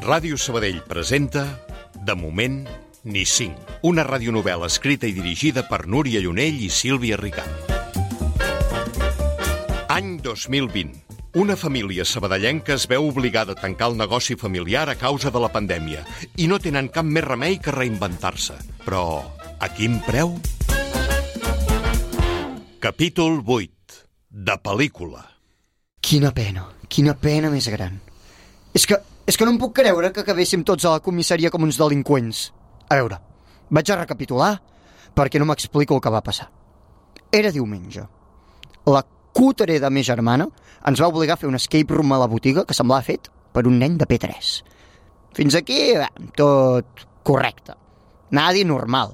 Ràdio Sabadell presenta De moment, ni 5. Una radionovel·la escrita i dirigida per Núria Llunell i Sílvia Ricart. Any 2020. Una família sabadellenca es veu obligada a tancar el negoci familiar a causa de la pandèmia i no tenen cap més remei que reinventar-se. Però a quin preu? Capítol 8. De pel·lícula. Quina pena més gran. És que no em puc creure que acabéssim tots a la comissaria com uns delinqüents. A veure, vaig a recapitular perquè no m'explico el que va passar. Era diumenge. La cútere de ma germana ens va obligar a fer un escape room a la botiga que semblava fet per un nen de P3. Fins aquí, tot correcte. Nadi normal,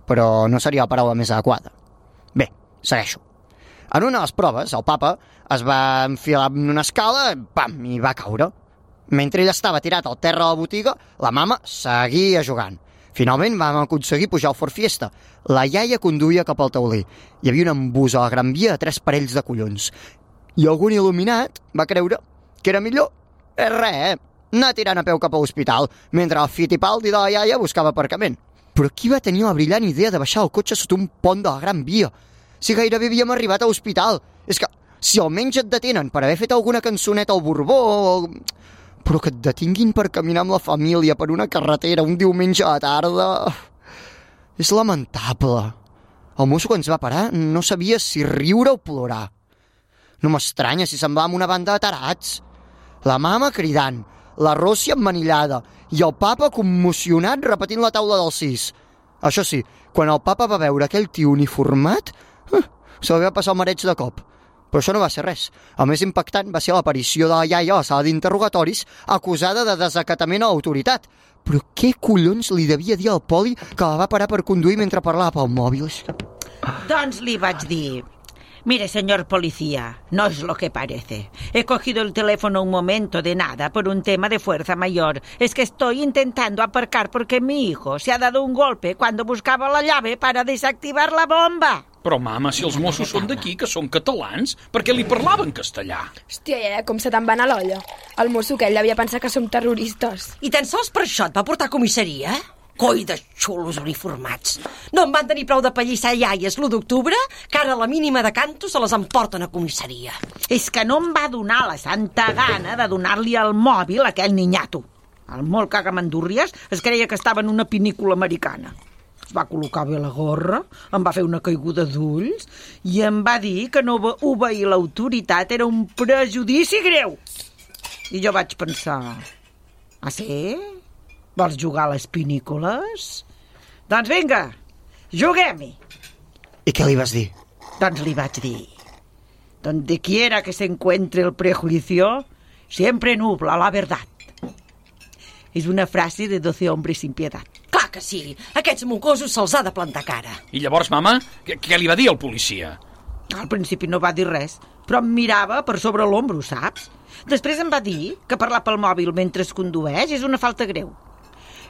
però no seria la paraula més adequada. Bé, segueixo. En una de les proves, el papa es va enfilar en una escala i va caure. Mentre ell estava tirat al terra de la botiga, la mama seguia jugant. Finalment vam aconseguir pujar al Ford Fiesta. La iaia conduïa cap al tauler. Hi havia un embús a la Gran Via de 3 parells de collons. I algun il·luminat va creure que era millor anar tirant a peu cap a l'hospital, mentre el Fittipaldi de la iaia buscava aparcament. Però qui va tenir la brillant idea de baixar el cotxe sota un pont de la Gran Via? Si gairebé havíem arribat a l'hospital. És que, si almenys et detenen per haver fet alguna cançoneta al Borbó... Però que et detinguin per caminar amb la família per una carretera un diumenge a la tarda... És lamentable. El mosso que ens va parar no sabia si riure o plorar. No m'estranya si semblàvem una banda de tarats. La mama cridant, la Rossi emmanillada i el papa commocionat repetint la taula del 6. Això sí, quan el papa va veure aquell tio uniformat, se li va passar el mareig de cop. Però això no va ser res. El més impactant va ser l'aparició de la iaia a la sala d'interrogatoris acusada de desacatament a l'autoritat. Però què collons li devia dir al poli que la va parar per conduir mentre parlava pel mòbil? Doncs li vaig dir... Mire, señor policía, no es lo que parece. He cogido el teléfono un momento de nada por un tema de fuerza mayor. Es que estoy intentando aparcar porque mi hijo se ha dado un golpe cuando buscaba la llave para desactivar la bomba. Però, mama, si els Mossos són d'aquí, que són catalans, per què li parlaven castellà? Hòstia, com se te'n va anar l'olla. El mosso aquell devia pensar que som terroristes. I tan sols per això et va portar a comissaria? Coi de xulos uniformats. No en van tenir prou de pallissar iaies l'1 d'octubre, que ara a la mínima de canto se les emporten a comissaria. És que no em va donar la santa gana de donar-li el mòbil a aquell ninyato. El molt cagamandúrries es creia que estava en una pinícula americana. Es va col·locar bé la gorra, em va fer una caiguda d'ulls i em va dir que no obeir l'autoritat era un prejudici greu. I jo vaig pensar... Ah, sí? Vols jugar a les pinícules? Doncs vinga, juguem-hi. I què li vas dir? Doncs li vaig dir... Donde quiera que se encuentre el prejuicio, siempre nubla la verdad. És una frase de 12 hombres sin piedad. Clar que sí, aquests mocosos se'ls ha de plantar cara. I llavors, mama, què li va dir el policia? Al principi no va dir res, però em mirava per sobre l'ombro, saps? Després em va dir que parlar pel mòbil mentre es condueix és una falta greu.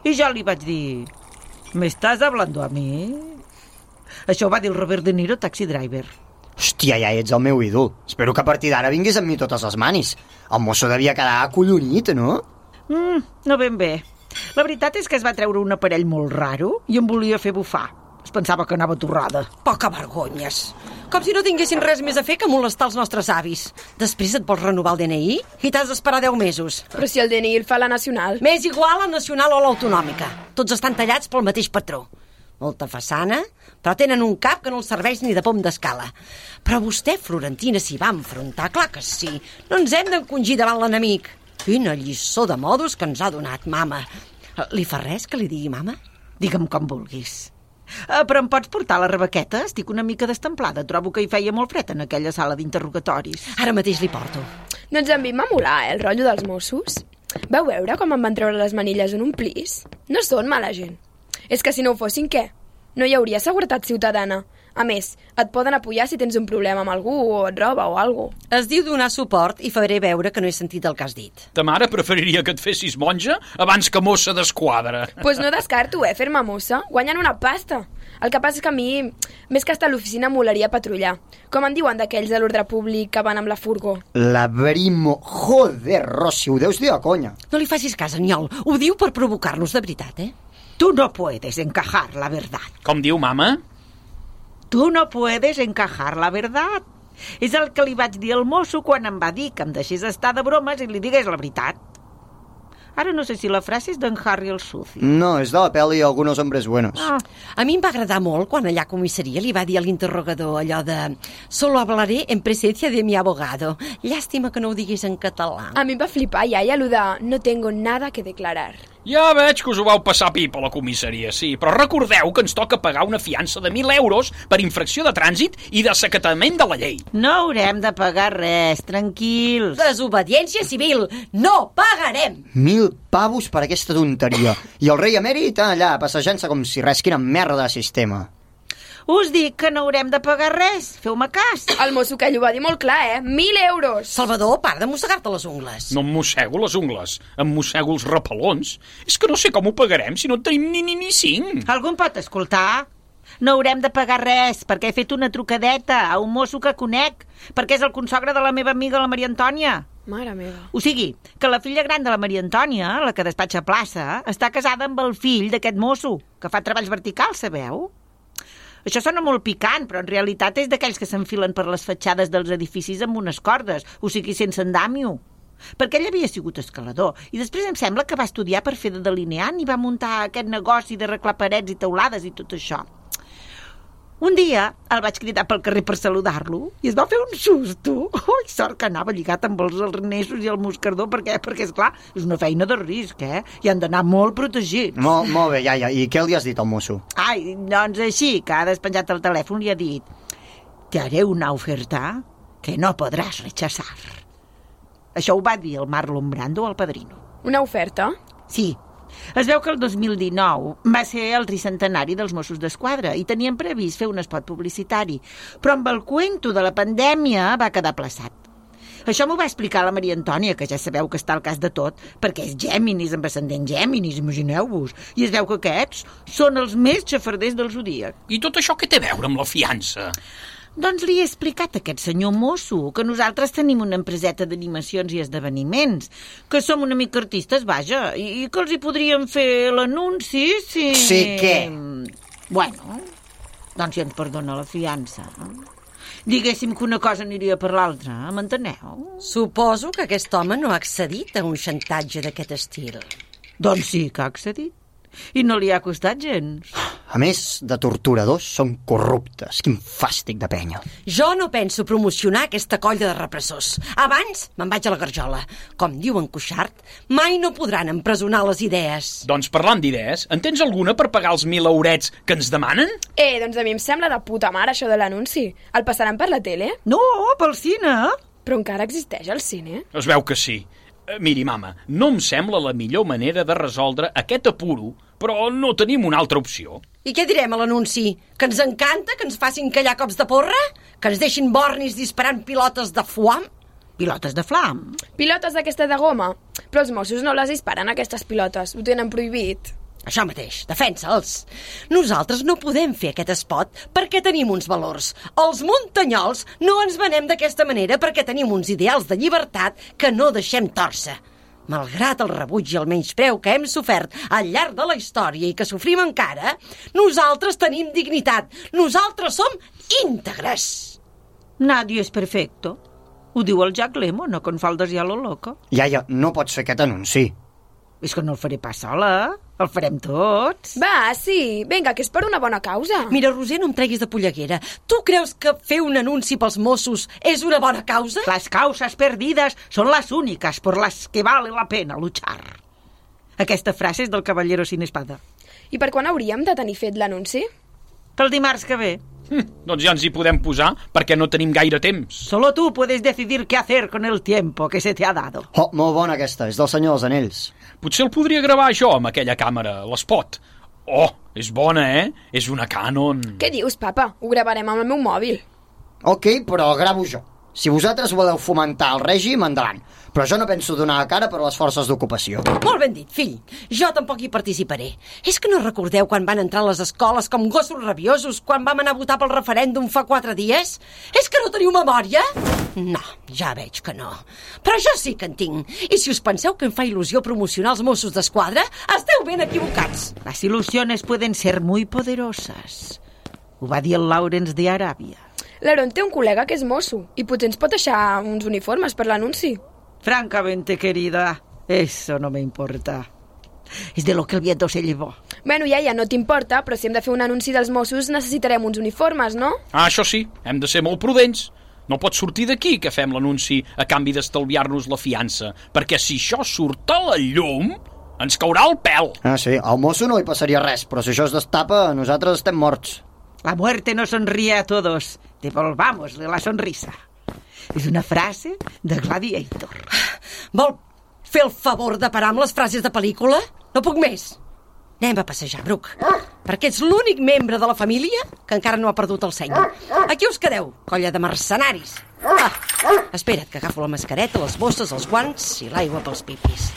I jo li vaig dir... ¿Me estás hablando a mi? Això ho va dir el Robert De Niro, Taxi Driver. Hòstia, ja ets el meu ídol. Espero que a partir d'ara vinguis amb mi totes les manis. El mosso devia quedar acollonit, no? No ben bé. La veritat és que es va treure un aparell molt raro i em volia fer bufar. Es pensava que anava torrada. Poca vergonyes. Com si no tinguessin res més a fer que molestar els nostres avis. Després et vols renovar el DNI i t'has d'esperar 10 mesos. Però si el DNI el fa la nacional. M'és igual la nacional o l'autonòmica. Tots estan tallats pel mateix patró. Molta façana, però tenen un cap que no els serveix ni de pom d'escala. Però vostè, Florentina, s'hi va enfrontar, clar que sí. No ens hem d'encongir davant l'enemic. Quina lliçó de modos que ens ha donat, mama. Li fa res que li digui mama? Digue'm com vulguis. Però em pots portar la rebequeta? Estic una mica destemplada. Trobo que hi feia molt fred en aquella sala d'interrogatoris. Ara mateix li porto. Doncs a mi em va molar, el rotllo dels Mossos. Vau veure com em van treure les manilles en un plis? No són mala gent. És que si no ho fossin, què? No hi hauria seguretat ciutadana. A més, et poden apoyar si tens un problema amb algú o et roba o alguna cosa. Es diu donar suport i faré veure que no he sentit el que has dit. Ta mare preferiria que et fessis monja abans que mossa d'esquadra. Pues no descarto, fer-me mossa. Guanyen una pasta. El que passa és que a mi, més que estar a l'oficina, molaria patrullar. Com en diuen d'aquells de l'ordre públic que van amb la furgó? La Brimo. Joder, Rossi, ho deus dir de conya. No li facis cas, Aniol. Ho diu per provocar-nos de veritat, eh? Tu no puedes encajar la verdad. Com diu, mama? Tu no puedes encajar la verdad. És el que li vaig dir al mosso quan em va dir que em deixés estar de bromes i li digués la veritat. Ara no sé si la frase és d'en Harry el Suci. No, és de la pel·li Algunos hombres buenos. A mi em va agradar molt quan allà a comissaria li va dir a l'interrogador allò de «Solo hablaré en presencia de mi abogado». Llàstima que no ho digués en català. A mi em va flipar, iaia, allò de «No tengo nada que declarar». Ja veig que us ho vau passar pip a la comissaria, sí, però recordeu que ens toca pagar una fiança de 1.000 euros per infracció de trànsit i desacatament de la llei. No haurem de pagar res, tranquils. Desobediència civil! No pagarem! 1.000 pavos per aquesta tonteria. I el rei emèrit allà, passejant-se com si res, quina merda de sistema. Us dic que no haurem de pagar res. Feu-me cas. El mosso que ho va dir molt clar, 1.000 euros! Salvador, para de mossegar-te les ungles. No em mossego les ungles, em mossego els repelons. És que no sé com ho pagarem si no en tenim ni 5. Algú em pot escoltar? No haurem de pagar res, perquè he fet una trucadeta a un mosso que conec, perquè és el consogre de la meva amiga, la Maria Antònia. Mare meva. O sigui, que la filla gran de la Maria Antònia, la que despatxa a plaça, està casada amb el fill d'aquest mosso, que fa treballs verticals, sabeu? Això sona molt picant, però en realitat és d'aquells que s'enfilen per les fatxades dels edificis amb unes cordes, o sigui, sense andamio. Perquè ell havia sigut escalador, i després em sembla que va estudiar per fer de delineant i va muntar aquest negoci d'arreglar parets i teulades i tot això. Un dia el vaig cridar pel carrer per saludar-lo i es va fer un susto. Ui, sort que anava lligat amb els arnesos i el moscardó, perquè esclar, és una feina de risc, i han d'anar molt protegits. Molt bé, iaia. I què li has dit al mosso? Ai, doncs així, que ha despenjat el telèfon, li ha dit: «Te haré una oferta que no podràs rechazar». Això ho va dir el Marlon Brando al padrino. Una oferta? Sí. Es veu que el 2019 va ser el tricentenari dels Mossos d'Esquadra i tenien previst fer un espot publicitari, però amb el cuento de la pandèmia va quedar aplaçat. Això m'ho va explicar la Maria Antònia, que ja sabeu que està al cas de tot, perquè és Géminis, amb ascendent Géminis, imagineu-vos. I es veu que aquests són els més xafarders del zodíac. I tot això què té a veure amb la fiança? Doncs li he explicat a aquest senyor mosso que nosaltres tenim una empreseta d'animacions i esdeveniments, que som una mica artistes, vaja, i que els hi podríem fer l'anunci si... Sí, què? Bueno, doncs si ens perdona la fiança. Diguéssim que una cosa aniria per l'altra, m'enteneu? Suposo que aquest home no ha accedit a un xantatge d'aquest estil. Doncs sí que ha accedit. I no li ha costat gens. A més de torturadors, són corruptes. Quin fàstic de penya. Jo no penso promocionar aquesta colla de repressors. Abans me'n vaig a la garjola. Com diu en Cuixart, mai no podran empresonar les idees. Doncs parlant d'idees, en tens alguna per pagar els 1.000 eurets que ens demanen? Doncs a mi em sembla de puta mare això de l'anunci. El passaran per la tele? No, pel cine. Però encara existeix el cine? Es veu que sí. Miri, mama, no em sembla la millor manera de resoldre aquest apuro, però no tenim una altra opció. I què direm a l'anunci? Que ens encanta que ens facin callar cops de porra? Que ens deixin bornis disparant pilotes de foam? Pilotes de flam? Pilotes d'aquesta de goma? Però els Mossos no les disparen, aquestes pilotes. Ho tenen prohibit. Això mateix, defensa'ls. Nosaltres no podem fer aquest espot perquè tenim uns valors. Els muntanyols no ens venem d'aquesta manera perquè tenim uns ideals de llibertat que no deixem tòrcer. Malgrat el rebuig i el menyspreu que hem sofert al llarg de la història i que sofrim encara, nosaltres tenim dignitat. Nosaltres som íntegres. Nadie és perfecto. Ho diu el Jack Lemmon, no con faldes ya lo loco. Iaia, no pots fer aquest anunci. És que no el faré pas sola. El farem tots. Va, sí. Vinga, que és per una bona causa. Mira, Roser, no em treguis de polleguera. Tu creus que fer un anunci pels Mossos és una bona causa? Las causas perdidas son las únicas por las que vale la pena luchar. Aquesta frase és del Caballero sin espada. I per quan hauríem de tenir fet l'anunci? Pel dimarts que ve. Doncs ja ens hi podem posar perquè no tenim gaire temps. Solo tú puedes decidir qué hacer con el tiempo que se te ha dado. Oh, molt bona aquesta, és del Senyor dels Anells. Potser el podria gravar jo amb aquella càmera, l'espot. Oh, és bona, És una Canon. Què dius, papa? Ho gravarem amb el meu mòbil. Ok, però gravo jo. Si vosaltres voleu fomentar el règim, endavant. Però jo no penso donar la cara per a les forces d'ocupació. Molt ben dit, fill. Jo tampoc hi participaré. És que no recordeu quan van entrar a les escoles com gossos rabiosos quan vam anar a votar pel referèndum fa 4 dies? És que no teniu memòria? No, ja veig que no. Però jo sí que en tinc. I si us penseu que em fa il·lusió promocionar els Mossos d'Esquadra, esteu ben equivocats. Las ilusiones pueden ser muy poderosas. Ho va dir el Lawrence de Aràbia. L'Aaron té un col·lega que és mosso i potser ens pot deixar uns uniformes per l'anunci. Francamente, querida, eso no me importa. Es de lo que el viento se llevó. Bueno, iaia, no t'importa, però si hem de fer un anunci dels Mossos necessitarem uns uniformes, no? Ah, això sí, hem de ser molt prudents. No pot sortir d'aquí que fem l'anunci a canvi d'estalviar-nos la fiança, perquè si això surt a la llum, ens caurà el pèl. Ah, sí, al mosso no li passaria res, però si això es destapa, nosaltres estem morts. La muerte nos sonríe a todos. Devolvámosle la sonrisa. És una frase de Gladiator. Vol fer el favor de parar amb les frases de pel·lícula? No puc més. Anem a passejar, Brooke, perquè ets l'únic membre de la família que encara no ha perdut el seny. Aquí us quedeu, colla de mercenaris. Espera't, que agafo la mascareta, les bosses, els guants i l'aigua pels pipis.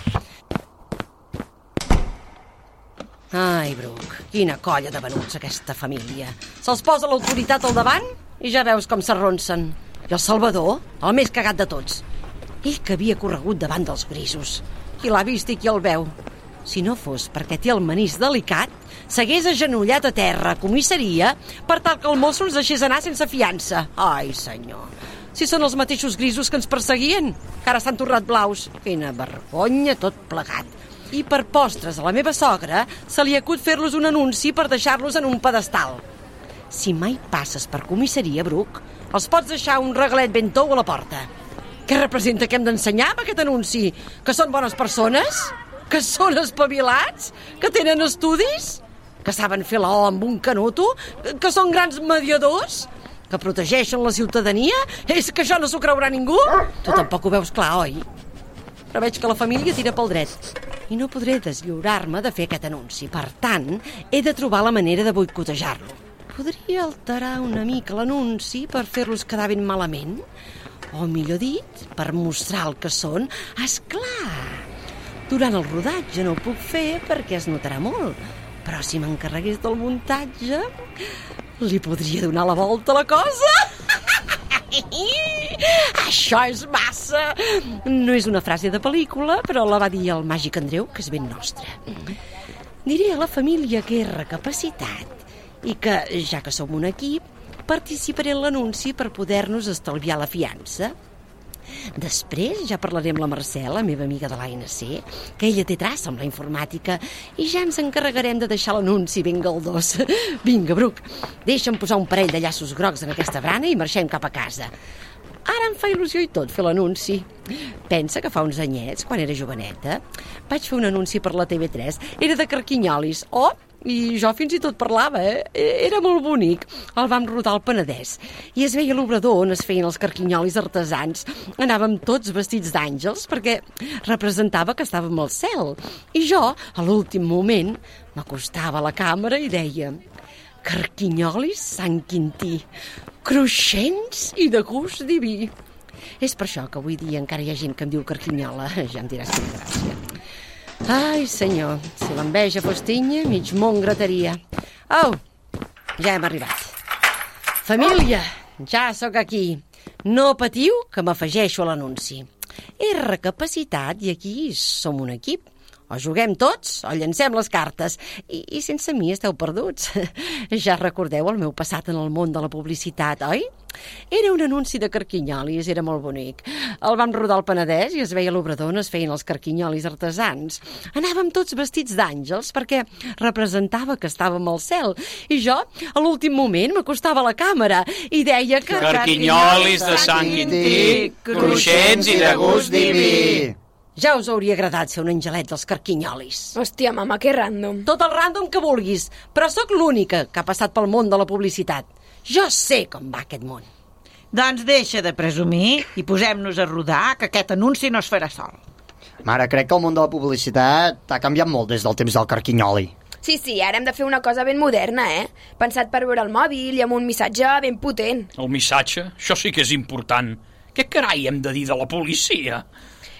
Ai, Brooke, quina colla de venuts aquesta família. Se'ls posa l'autoritat al davant i ja veus com s'arronsen. I el Salvador, el més cagat de tots. Ell que havia corregut davant dels grisos. Qui l'ha vist i qui el veu. Si no fos perquè té el manís delicat, s'hagués agenollat a terra a comissaria per tal que el mosso ens deixés anar sense fiança. Ai, senyor. Si són els mateixos grisos que ens perseguien, que ara s'han tornat blaus. Quina vergonya tot plegat. I per postres a la meva sogra se li acut fer-los un anunci per deixar-los en un pedestal. Si mai passes per comissaria, Brooke, els pots deixar un regalet ben tou a la porta. Què representa que hem d'ensenyar amb aquest anunci? Que són bones persones? Que són espavilats? Que tenen estudis? Que saben fer la O amb un canuto? Que són grans mediadors? Que protegeixen la ciutadania? És que això no s'ho creurà ningú? Tu tampoc ho veus clar, oi? Però veig que la família tira pel dret i no podré deslliurar-me de fer aquest anunci. Per tant, he de trobar la manera de boicotejar-lo. Podria alterar una mica l'anunci per fer-los quedar ben malament? O, millor dit, per mostrar el que són? Esclar! Durant el rodatge no ho puc fer perquè es notarà molt, però si m'encarregués del muntatge, li podria donar la volta a la cosa. Això és massa! No és una frase de pel·lícula, però la va dir el màgic Andreu, que és ben nostre. Diré a la família que he recapacitat i que, ja que som un equip, participaré en l'anunci per poder-nos estalviar la fiança. Després ja parlaré amb la Mercè, la meva amiga de l'ANC, que ella té traça amb la informàtica, i ja ens encarregarem de deixar l'anunci ben galdós. Vinga, Brooke, deixa'm posar un parell de llaços grocs en aquesta brana i marxem cap a casa. Ara em fa il·lusió i tot fer l'anunci. Pensa que fa uns anyets, quan era joveneta, vaig fer un anunci per la TV3. Era de carquinyolis. I jo fins i tot parlava, Era molt bonic. El vam rodar al Penedès. I es veia l'obrador on es feien els carquinyolis artesans. Anàvem tots vestits d'àngels perquè representava que estàvem al cel. I jo, a l'últim moment, m'acostava a la càmera i deia: carquinyolis Sant Quintí, cruixents i de gust diví. És per això que avui dia encara hi ha gent que em diu carquinyola. Ja em diràs quina gràcia. Ai, senyor, si l'enveja fos tinya, mig món grataria. Au, ja hem arribat. Família, ja sóc aquí. No patiu, que m'afegeixo a l'anunci. He recapacitat i aquí som un equip. O juguem tots o llancem les cartes. I sense mi esteu perduts. Ja recordeu el meu passat en el món de la publicitat, oi? Era un anunci de carquinyolis, era molt bonic. El vam rodar al Penedès i es veia l'obrador on es feien els carquinyolis artesans. Anàvem tots vestits d'àngels perquè representava que estàvem al cel. I jo, a l'últim moment, m'acostava a la càmera i deia que... Carquinyolis de Sant Quintí, cruixents i de gust diví. Ja us hauria agradat ser un angelet dels carquinyolis. Hòstia, mama, que random. Tot el random que vulguis, però sóc l'única que ha passat pel món de la publicitat. Jo sé com va aquest món. Doncs deixa de presumir i posem-nos a rodar, que aquest anunci no es farà sol. Mare, crec que el món de la publicitat ha canviat molt des del temps del carquinyoli. Sí, ara hem de fer una cosa ben moderna, Pensat per veure el mòbil i amb un missatge ben potent. El missatge? Això sí que és important. Què carai hem de dir de la policia?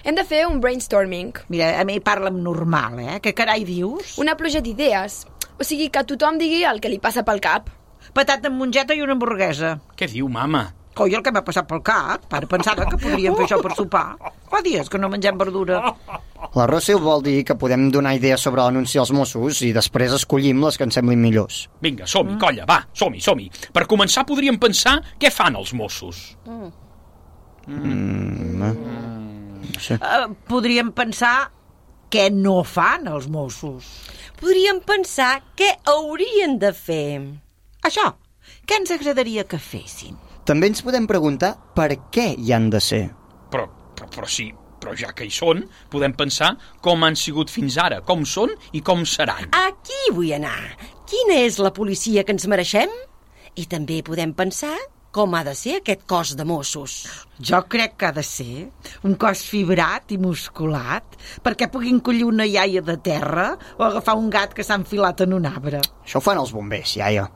Hem de fer un brainstorming. Mira, a mi parla'm normal, Què carai dius? Una pluja d'idees. O sigui, que tothom digui el que li passa pel cap. Patata amb mongeta i una hamburguesa. Què diu, mama? Coi, el que m'ha passat pel cap. Ara pensava que podríem fer això per sopar. Fa dies que no mengem verdura. La Rossell vol dir que podem donar idees sobre l'anunci als Mossos i després escollim les que ens semblin millors. Vinga, som-hi, colla, va, som-hi. Per començar podríem pensar què fan els Mossos. No sé. Podríem pensar què no fan els Mossos. Podríem pensar què haurien de fer. Això, què ens agradaria que fessin? També ens podem preguntar per què hi han de ser. Però ja que hi són, podem pensar com han sigut fins ara, com són i com seran. Aquí vull anar. Quina és la policia que ens mereixem? I també podem pensar com ha de ser aquest cos de Mossos. Jo crec que ha de ser un cos fibrat i musculat perquè puguin collir una iaia de terra o agafar un gat que s'ha enfilat en un arbre. Això ho fan els bombers, iaia.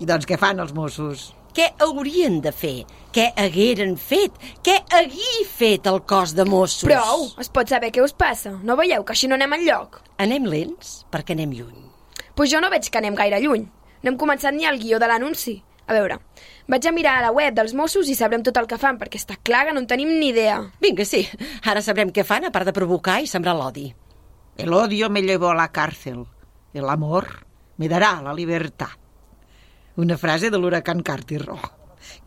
I doncs què fan els Mossos? Què haurien de fer? Què hagueren fet? Què hagués fet el cos de Mossos? Prou! Es pot saber què us passa. No veieu que així no anem enlloc? Anem lents perquè anem lluny. Pues jo no veig que anem gaire lluny. No hem començat ni el guió de l'anunci. A veure, vaig a mirar a la web dels Mossos i sabrem tot el que fan, perquè està clar que no en tenim ni idea. Vinga, sí. Ara sabrem què fan, a part de provocar i sembrar l'odi. El odio me llevó a la cárcel. El amor me dará la libertad. Una frase de l'huracán Carter. Oh,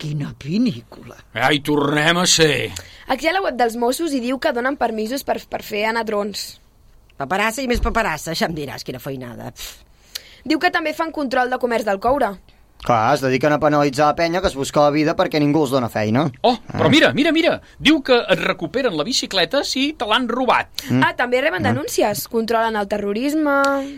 quina pel·lícula. Ai, tornem a ser. Aquí a la web dels Mossos hi diu que donen permisos per fer anar drons. Paperassa i més paperassa, ja em diràs quina feinada. Diu que també fan control de comerç del coure. Clar, es dediquen a penalitzar la penya que es busca la vida perquè ningú els dona feina. Oh, però mira. Diu que et recuperen la bicicleta si te l'han robat. També reben denúncies. Controlen el terrorisme.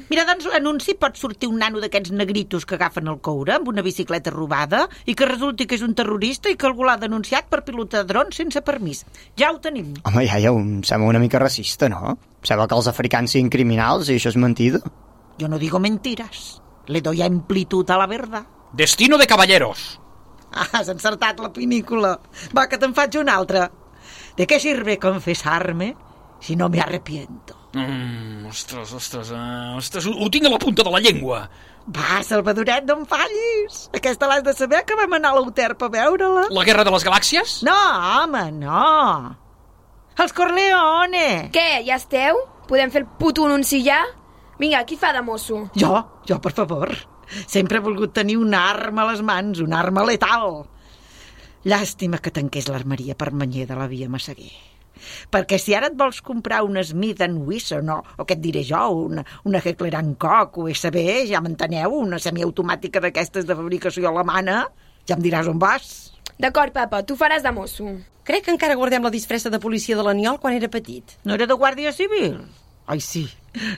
Mira, doncs l'anunci pot sortir un nano d'aquests negritos que agafen el coure amb una bicicleta robada i que resulti que és un terrorista i que algú l'ha denunciat per pilotar drons sense permís. Ja ho tenim. Home, iaia, em sembla una mica racista, no? Sembla que els africans siguin criminals i això és mentida. Yo no digo mentiras. Le doy amplitud a la verdad. Destino de caballeros. Has encertat la pel·lícula. Va, que te'n faig una altra. ¿De qué sirve confesarme si no me arrepiento? Ostres, ho tinc a la punta de la llengua. Va, Salvadoret, no em fallis. Aquesta l'has de saber, que vam anar a l'Euterp a veure-la. La guerra de les galàxies? No, home, no. Els Corleone. Què, ja esteu? Podem fer el puto anunci ja? Vinga, qui fa de mosso? Jo, per favor. Sempre he volgut tenir una arma a les mans, una arma letal. Llàstima que tanqués l'armeria Permanyer de la via Massaguer. Perquè si ara et vols comprar una Smith & Wesson o què et diré jo, una Heckler & Koch USB, ja m'enteneu, una semiautomàtica d'aquestes de fabricació alemana, ja em diràs on vas. D'acord, papa, tu faràs de mosso. Crec que encara guardem la disfressa de policia de l'Aniol quan era petit. No era de Guàrdia Civil? Ai, sí,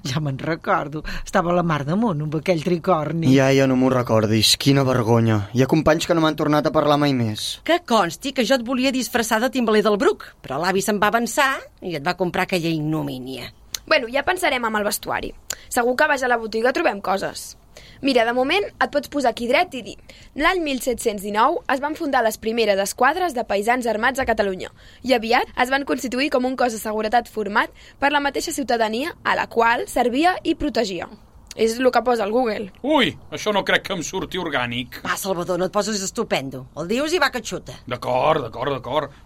ja me'n recordo. Estava a la Mar d'Amunt amb aquell tricorni. Ja no m'ho recordis. Quina vergonya. Hi ha companys que no m'han tornat a parlar mai més. Que consti que jo et volia disfressar de timbaler del Bruc, però l'avi se'n va avançar i et va comprar aquella ignomínia. Bueno, ja pensarem amb el vestuari. Segur que vas a la botiga trobem coses. Mira, de moment et pots posar aquí dret i dir: l'any 1719 es van fundar les primeres esquadres de paisans armats a Catalunya i aviat es van constituir com un cos de seguretat format per la mateixa ciutadania a la qual servia i protegia. És el que posa al Google. Ui, això no crec que em surti orgànic. Va, Salvador, no et poses estupendo. El dius i va que xuta. D'acord.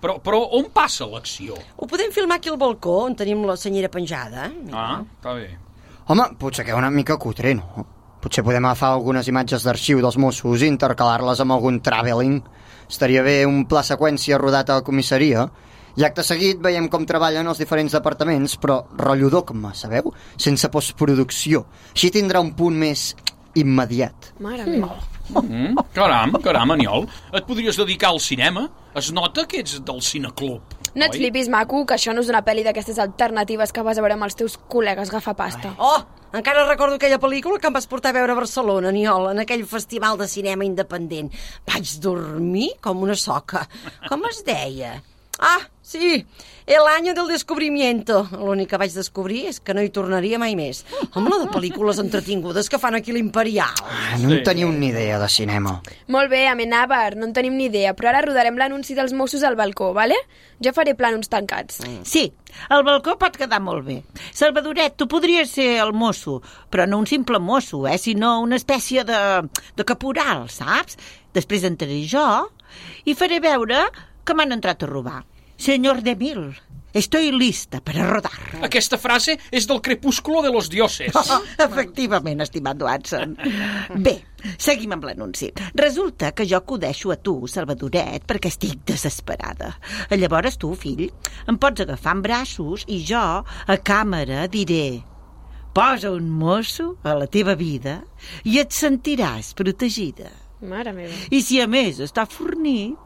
Però on passa l'acció? Ho podem filmar aquí al balcó, on tenim la senyera penjada. Ah, està bé. Home, potser queda una mica cutre, no? Potser podem agafar algunes imatges d'arxiu dels Mossos i intercalar-les amb algun travelling. Estaria bé un pla seqüència rodat a la comissaria. I acte seguit veiem com treballen els diferents departaments, però rotllo dogma, sabeu? Sense postproducció. Així tindrà un punt més immediat. Mare meva. Caram, Aniol. Et podries dedicar al cinema? Es nota que ets del cineclub. No et flipis, maco, que això no és una pel·li d'aquestes alternatives que vas a veure amb els teus col·legues gafapasta. Oh, encara recordo aquella pel·lícula que em vas portar a veure a Barcelona, Aniol, en aquell festival de cinema independent. Vaig dormir com una soca. Com es deia? Ah, sí, el año del descubrimiento. L'únic que vaig descobrir és que no hi tornaria mai més. Amb la de pel·lícules entretingudes que fan aquí l'Imperial. No en teniu ni idea de cinema. Molt bé, Amenábar, no en tenim ni idea, però ara rodarem l'anunci dels Mossos al balcó, vale? Jo faré plànols tancats. Sí, el balcó pot quedar molt bé. Salvadoret, tu podries ser el mosso, però no un simple mosso, sinó una espècie de caporal, saps? Després entraré jo i faré veure que m'han entrat a robar. Senyor de Mil, estoy lista para rodar. Aquesta frase és del Crepúsculo de los dioses. Efectivament, estimat Watson. Bé, seguim amb l'anunci. Resulta que jo acudeixo a tu, Salvadoret, perquè estic desesperada. Llavors tu, fill, em pots agafar en braços i jo, a càmera, diré: posa un mosso a la teva vida i et sentiràs protegida. Mare meva. I si a més està fornit,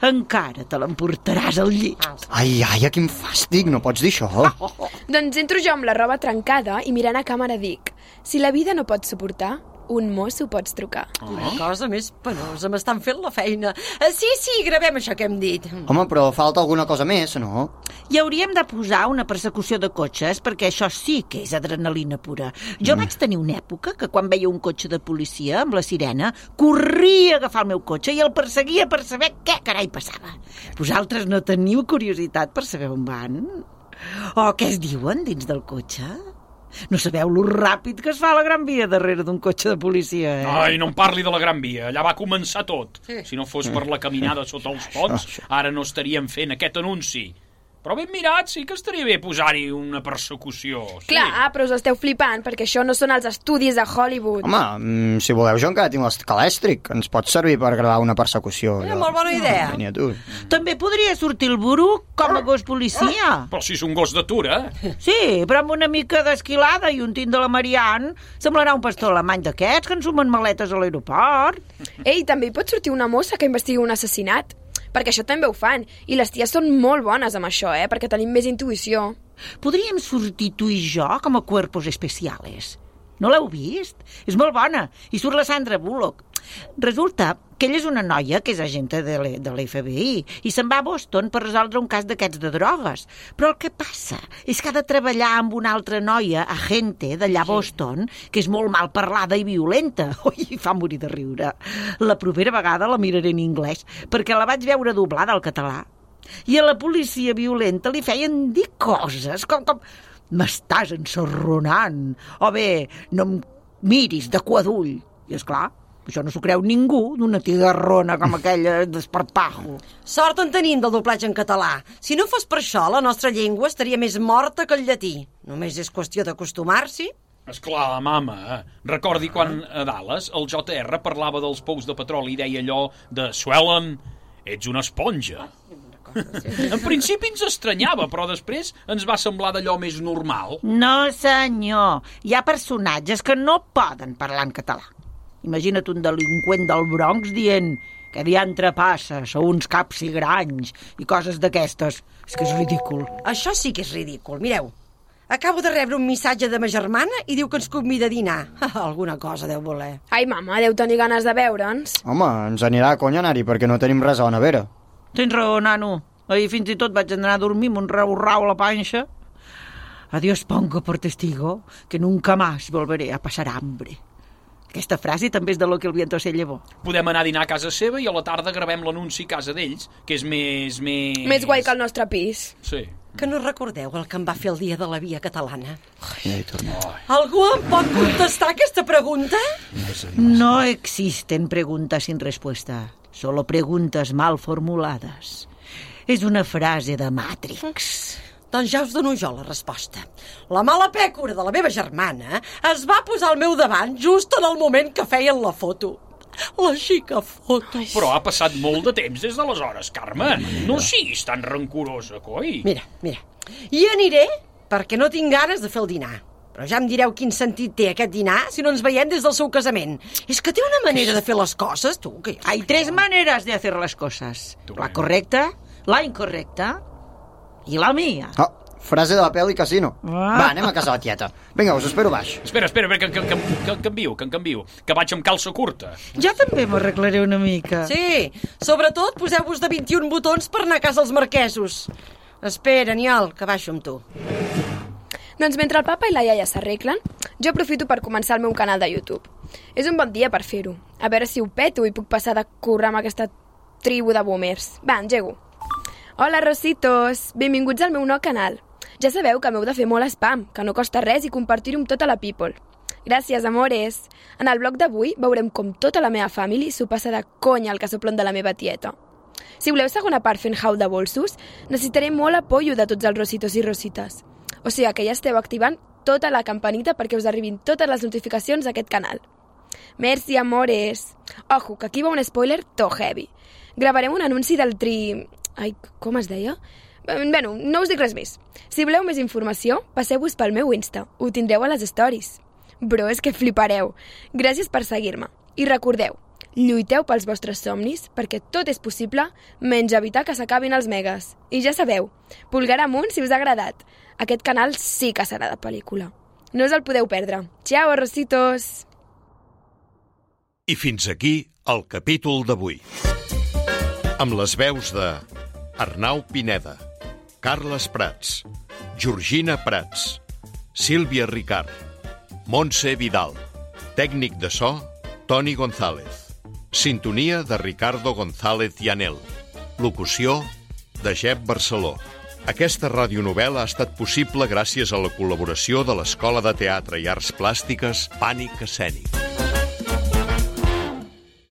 encara te l'emportaràs al llit. Ai, quin fàstic, no pots dir això. Doncs entro jo amb la roba trencada i mirant a càmera dic: si la vida no pots suportar, un mosso pots trucar. Quina cosa més penosa, m'estan fent la feina. Sí, gravem això que hem dit. Home, però falta alguna cosa més, no? I hauríem de posar una persecució de cotxes, perquè això sí que és adrenalina pura. Jo vaig tenir una època que quan veia un cotxe de policia amb la sirena, corria a agafar el meu cotxe i el perseguia per saber què carai passava. Vosaltres no teniu curiositat per saber on van? O què es diuen dins del cotxe? No sabeu lo ràpid que es fa la Gran Via darrere d'un cotxe de policia, Ai, no em parli de la Gran Via, allà va començar tot. Si no fos per la caminada sota els ponts, ara no estaríem fent aquest anunci. Però ben mirat, sí que estaria bé posar-hi una persecució. Sí. Clar, però us esteu flipant, perquè això no són els estudis de Hollywood. Home, si voleu jo encara tinc l'escalèstric. Ens pot servir per gravar una persecució. Molt bona idea. Venia tu. També podria sortir el Buruc com a gos policia. Però si és un gos d'atura. Sí, però amb una mica d'esquilada i un tint de la Marianne semblarà un pastor alemany d'aquests que ensumen maletes a l'aeroport. Ei, també hi pot sortir una mossa que investigui un assassinat, perquè això també ho fan, i les ties són molt bones amb això, perquè tenim més intuïció. Podríem sortir tu i jo com a cuerpos especiales. No l'heu vist? És molt bona. I surt la Sandra Bullock. Resulta que ella és una noia que és agente de l'FBI i se'n va a Boston per resoldre un cas d'aquests de drogues. Però el que passa és que ha de treballar amb una altra noia, agente d'allà a Boston, que és molt mal parlada i violenta. Ui, fa morir de riure. La propera vegada la miraré en anglès, perquè la vaig veure doblada al català. I a la policia violenta li feien dir coses com m'estàs ensarronant, o bé, no em miris de quadull. I esclar, això no s'ho creu ningú d'una tigarrona com aquella d'esparpajo. Sort en tenim del doblatge en català. Si no fos per això, la nostra llengua estaria més morta que el llatí. Només és qüestió d'acostumar-s'hi. Esclar, mama, recordi quan a Dallas el JR parlava dels pous de petroli i deia allò de Swellen, ets una esponja. En principi ens estranyava, però després ens va semblar d'allò més normal. No, senyor. Hi ha personatges que no poden parlar en català. Imagina't un delinqüent del Bronx dient que diantre passa, sou uns caps i granys i coses d'aquestes. És que és ridícul. Això sí que és ridícul. Mireu, acabo de rebre un missatge de ma germana i diu que ens convida a dinar. Alguna cosa deu voler. Ai, mama, deu tenir ganes de veure'ns. Home, ens anirà a conya anar-hi perquè no tenim res a la nevera. Tens raó, nano. Ahir fins i tot vaig anar a dormir amb un rau-rau a la panxa. Adiós pongo por testigo que nunca más volveré a pasar hambre. Aquesta frase també és de lo que el viento se llevó. Podem anar a dinar a casa seva i a la tarda gravem l'anunci a casa d'ells, que és més... Més guai que el nostre pis. Sí. Que no recordeu el que em va fer el dia de la via catalana? Ja hi tornem. Algú em pot contestar aquesta pregunta? No existen preguntas sin respuesta, solo preguntas mal formuladas. És una frase de Matrix. Doncs ja us dono jo la resposta. La mala pècora de la meva germana es va posar al meu davant just en el moment que feien la foto. La xica foto. Però ha passat molt de temps des d'aleshores, Carme. No siguis tan rancorosa, coi. Mira. I aniré perquè no tinc ganes de fer el dinar. Però ja em direu quin sentit té aquest dinar si no ens veiem des del seu casament. És que té una manera de fer les coses, tu. Que Hay tres maneras de hacer las cosas. La correcta, la incorrecta i la mía. Frase de la pel·li Casino. Ah. Va, anem a casa la tieta. Vinga, us espero baix. Espera, que canvio, que vaig amb calça curta. Jo també m'arreglaré una mica. Sí, sobretot poseu-vos de 21 botons per anar a casa els marquesos. Espera, Aniol, que baixo amb tu. Doncs mentre el papa i la iaia s'arreglen, jo aprofito per començar el meu canal de YouTube. És un bon dia per fer-ho. A veure si ho peto i puc passar de currar amb aquesta tribu de boomers. Va, engego. Hola, Rositos! Benvinguts al meu nou canal. Ja sabeu que m'heu de fer molt spam, que no costa res i compartir-ho amb tota la people. Gràcies, amores! En el blog d'avui veurem com tota la meva família s'ho passa de conya al casoplon de la meva tieta. Si voleu segona part fent haul de bolsos, necessitaré molt apoyo de tots els Rositos i Rosites. O sigui que ja esteu activant tota la campanita perquè us arribin totes les notificacions d'aquest canal. Merci, amores! Ojo, que aquí va un spoiler to heavy. Gravarem un anunci del Ai, com es deia? Bueno, no us dic res més. Si voleu més informació, passeu-vos pel meu Insta. Ho tindreu a les stories. Bro, és que flipareu. Gràcies per seguir-me. I recordeu, lluiteu pels vostres somnis perquè tot és possible menys evitar que s'acabin els megas. I ja sabeu, pulgar amunt si us ha agradat. Aquest canal sí que serà de pel·lícula. No us el podeu perdre. Ciao, Rositos! I fins aquí el capítol d'avui. Amb les veus de Arnau Pineda, Carles Prats, Georgina Prats, Sílvia Ricard, Montse Vidal, tècnic de so, Toni González, sintonia de Ricardo González Llanel, locució de Jep Barceló. Aquesta radionovel·la ha estat possible gràcies a la col·laboració de l'Escola de Teatre i Arts Plàstiques Pànic Escènic.